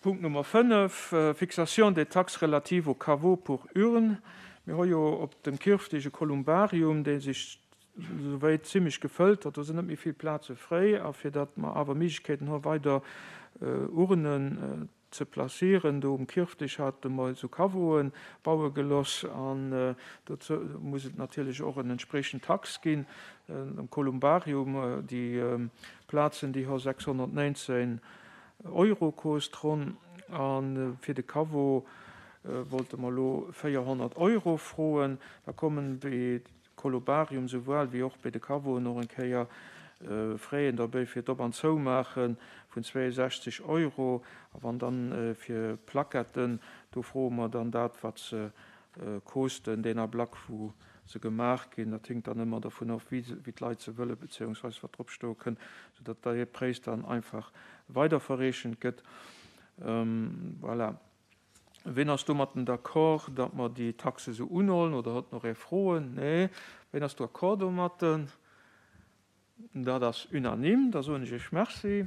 Punkt Nummer 5, Fixation des taxes relatives aux caveaux pour urnes. Mir hu jo op dem Kirfdeg e Kolumbarium, dee sech souwäit zimlech gefëllt huet. Do sinn net méi vill Plaze fréi. A fir datt mer awer Méiglechkeeten hu weider Urnen ze placieren, do um Kirfdeg hate mer esou Caveaue baue geloss. An dozou muss et natierlech och en entspriechend Tax ginn. Am Kolumbarium, déi Plazen, déi hu 619 Euro kost ronn a fir de Caveau wollte mer elo 400 Euro froen. Da kommen bei Colobarium souwuel wéi och bei de Caveauen och eng Kéier Fräen derbäi fir d'Op an Zoumaache vun 62 Euro. A wann dann fir Plaquetten, do froe mer dann dat wat se Kosten, deen Ablack wou se gemaach ginn, dat hinkt dann ëmmer dervun of, wéi d'Leit se wëllen, beziehungsweise wat drop stoe kënn, soudatt dee Präis dann einfach weiderverreechent gëtt. Voilà. Ween ass domatten d'accord, datt mer déi Taxe esou unhollen, oder huet nach ee Froen? Nee. Ween ass d'accord domatten? Dat ass unanime. Da soen ech Iech Merci.